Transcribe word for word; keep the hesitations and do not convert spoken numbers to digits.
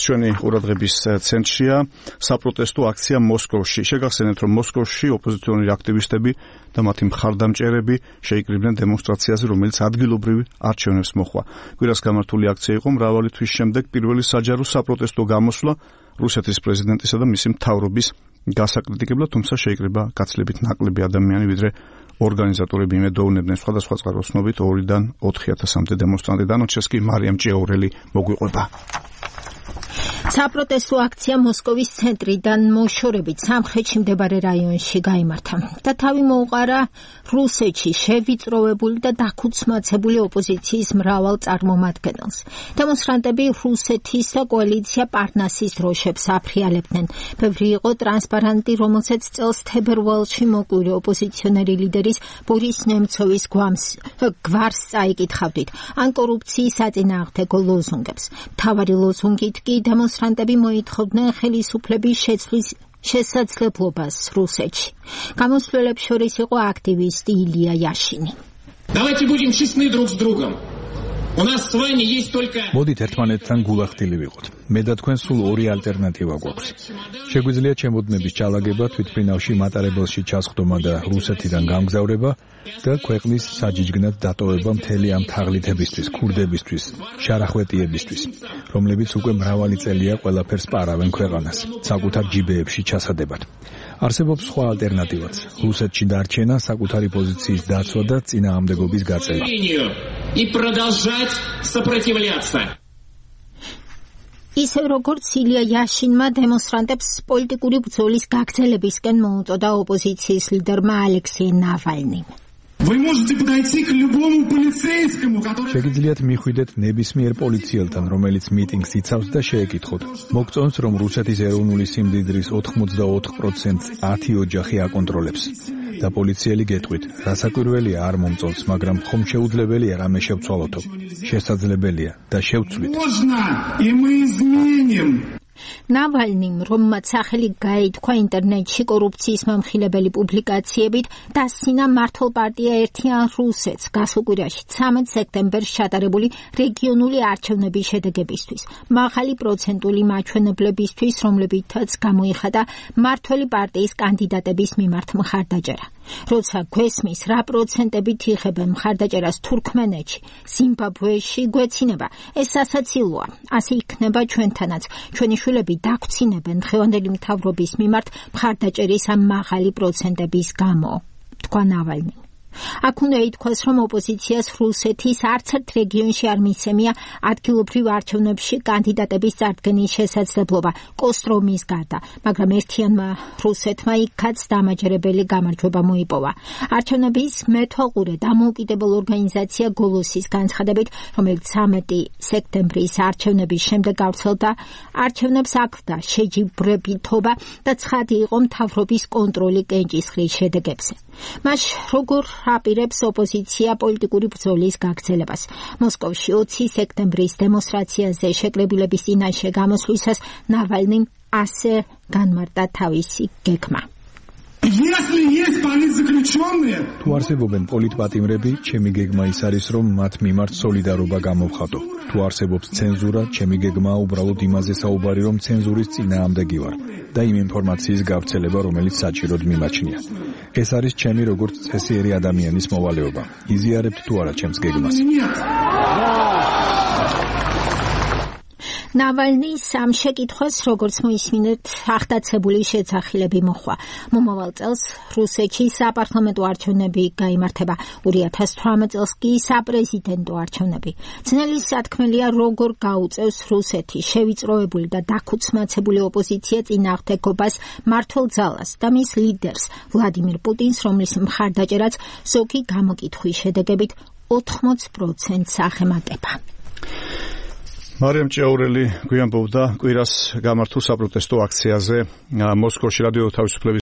ჩვენი ყურადღების ცენტრშია საპროტესტო აქცია მოსკოვში. შეგახსენებთ, რომ მოსკოვში ოპოზიციონერი აქტივისტები და მათი მხარდამჭერები შეიკრიბნენ დემონსტრაციაზე, რომელიც ადგილობრივი არჩევნებს მოჰყვა. კვირას გამართული აქცია იყო მრავალი თვის შემდეგ პირველი საჯარო საპროტესტო გამოსვლა რუსეთის პრეზიდენტისა და მისი მთავრობის გასაკრიტიკებლად, თუმცა შეიკრიბა გაცილებით ნაკლები ადამიანი, ვიდრე ორგანიზატორები იმედოვნებდნენ. სხვადასხვა წყაროს ცნობით ორიდან ოთხი ათასამდე დემონსტრანტი დანარჩეს კი მარიამ ჭიაურელი მოგვიყვება. საპროტესტო აქცია მოსკოვის ცენტრიდან მოშორებით სამხრეთში მდებარე რაიონში გაიმართა და თავი მოუყარა რუსეთში შევიწროვებული და დაქუცმაცებული ოპოზიციის მრავალ წარმომადგენელს. დემონსტრანტები რუსეთის და კოალიცია პარნასის დროშებს აფრიალებდნენ. ბევრი იყო ტრანსპარანტი, რომელსაც წელს თებერვალში მოკვირე ოპოზიციონერი ლიდერის ბორის ნემცოვის გვარს წაიკითხავდით ან კორუფციის საწინააღმდეგო ლოზუნგებს. მთავარი ლოზუნგით კი დემონსტრანტები მოითხოვდნენ ხელისუფლების შეცვლის შესაძლებლობას რუსეთში. გამოსვლელებს შორის იყო აქტივისტი ილია იაშინი. Давайте будем честны друг с другом. У нас с вами есть только მოდით ერთმანეთთან გულახდილი ვიყოთ. მე და თქვენ სულ ორი ალტერნატივა გვაქვს. შეგვიძლია ჩემოდნების ჩალაგება, თვითმფრინავში მატარებელში ჩასხდომა და რუსეთიდან გამგზავრება და ქვეყნის საჯიჯგნად დატოვება მთელი ამ თაღლითებისთვის, ქურდებისთვის, შარახვეტიებისთვის, რომლებიც უკვე მრავალი წელია ყველაფერს პარავენ ქვეყანას, საკუთარ ჯიბეებში ჩასადებად. არსებობს სხვა ალტერნატივაც. რუსეთში დარჩენა, საკუთარი პოზიციის დაცვა და წინააღმდეგობის გაწევა. и продолжать сопротивляться. ისევ როგორც ილია იაშინმა დემონსტრანტებს პოლიტიკური ბრძოლის გაგრძელებისკენ მოუწოდა ოპოზიციის ლიდერმა ალექსეი ნავალნიმ. Вы можете подойти к любому полицейскому, который შეგიძლიათ მიხვიდეთ ნებისმიერ პოლიციელთან, რომელიც მიტინგს იცავს და შეეკითხოთ. მოგწონს, რომ რუსეთის ეროვნული სიმდიდრის ოთხმოცდაოთხ პროცენტს ათი ოჯახი აკონტროლებს. და პოლიციელი გეტყვით, რასაკვირველია არ მომწონს, მაგრამ ხომ შეუძლებელია რამე შევცვალოთო. შესაძლებელია და შევცვლით. ნავალნიმ, რომელმაც სახელი გაითქვა ინტერნეტში კორუფციის მომხილებელი პუბლიკაციებით, დასცინა მართლ პარტია ერთიან რუსეთს გასულ კვირაში ცამეტ სექტემბერს ჩატარებული რეგიონული არჩევნების შედეგებისთვის, მაღალი პროცენტული მაჩვენებლებისთვის, რომლებითაც გამოიხადა მმართველი პარტიის კანდიდატების მიმართ მხარდაჭერა. როცა გვესმის, რა პროცენტებით იხებენ მხარდაჭერას თურქმენეთში, ზიმბაბვეში, გვეცინება, ეს სასაცილოა. ასე იქნება ჩვენთანაც. ჩვენი შვილები დაგვრცინებენ დღევანდელი მთავრობის მიმართ მხარდაჭერის ამ მაღალი პროცენტების გამო, თქვა ნავალნი. აქ უნდა ითქვას, რომ ოპოზიციას რუსეთის არც ერთ რეგიონში არ მისცემია ადგილობრივ არჩევნებში კანდიდატების წარდგენის შესაძლებლობა კოსტრომის გარდა, მაგრამ ერთიანმა რუსეთმა იქაც დამაჯერებელი გამარჯვება მოიპოვა. არჩევნების მეთვალყურე დამოუკიდებელ ორგანიზაცია გოლოსის განცხადებით, რომელიც ცამეტი სექტემბრის არჩევნების შემდეგ გავრცელდა, არჩევნებს აქვდა შეჯიბრებითობა და ცხადი იყო მთავრობის კონტროლი კენჭისყრის შედეგებზე. მას როგორ აპირებს ოპოზიცია პოლიტიკური ბრძოლის გაგრძელებას. მოსკოვში ოცი სექტემბრის დემონსტრაციაზე შეკრებილების წინაშე გამოსვლისას ნავალნიმ ასე განმარტა თავისი გეგმა. თუ არსებობენ პოლიტპატიმრები, ჩემი გეგმა ის არის, რომ მათ მიმართ სოლიდარობა გამოვხატო. თუ არსებობს ცენზურა, ჩემი გეგმაა უბრალოდ იმაზე საუბარი, რომ ცენზურის წინააღმდეგი ვარ და იმ ინფორმაციის გავრცელება, რომელიც საჭიროდ მიმაჩნია. ეს არის ჩემი როგორც წესიერი ადამიანის მოვალეობა. იზიარებთ თუ არა ჩემს გეგმას? ნავალნის ამ შეკითხვას, როგორც მოისმინეთ, ახდაცებული შეძახილები მოხვა. მომავალ წელს რუსეთში საპარლამენტო არჩევნები გაიმართება, ორი ათას თვრამეტ წელს კი საპრეზიდენტო არჩევნები. ძნელი სათქმელია, როგორ გაუწევს რუსეთი შევიწროებული და დაქუცმაცებული ოპოზიცია წინააღმდეგობას მმართველ ძალას და მის ლიდერს ვლადიმირ პუტინს, რომლის მხარდაჭერაც ზოგი გამოკითხვის შედეგებით ოთხმოც პროცენტს აღემატება. მარიამ ჭიაურელი გვიანბობდა კვირას გამართულ საპროტესტო აქციაზე მოსკოვში. რადიო თავისუფლების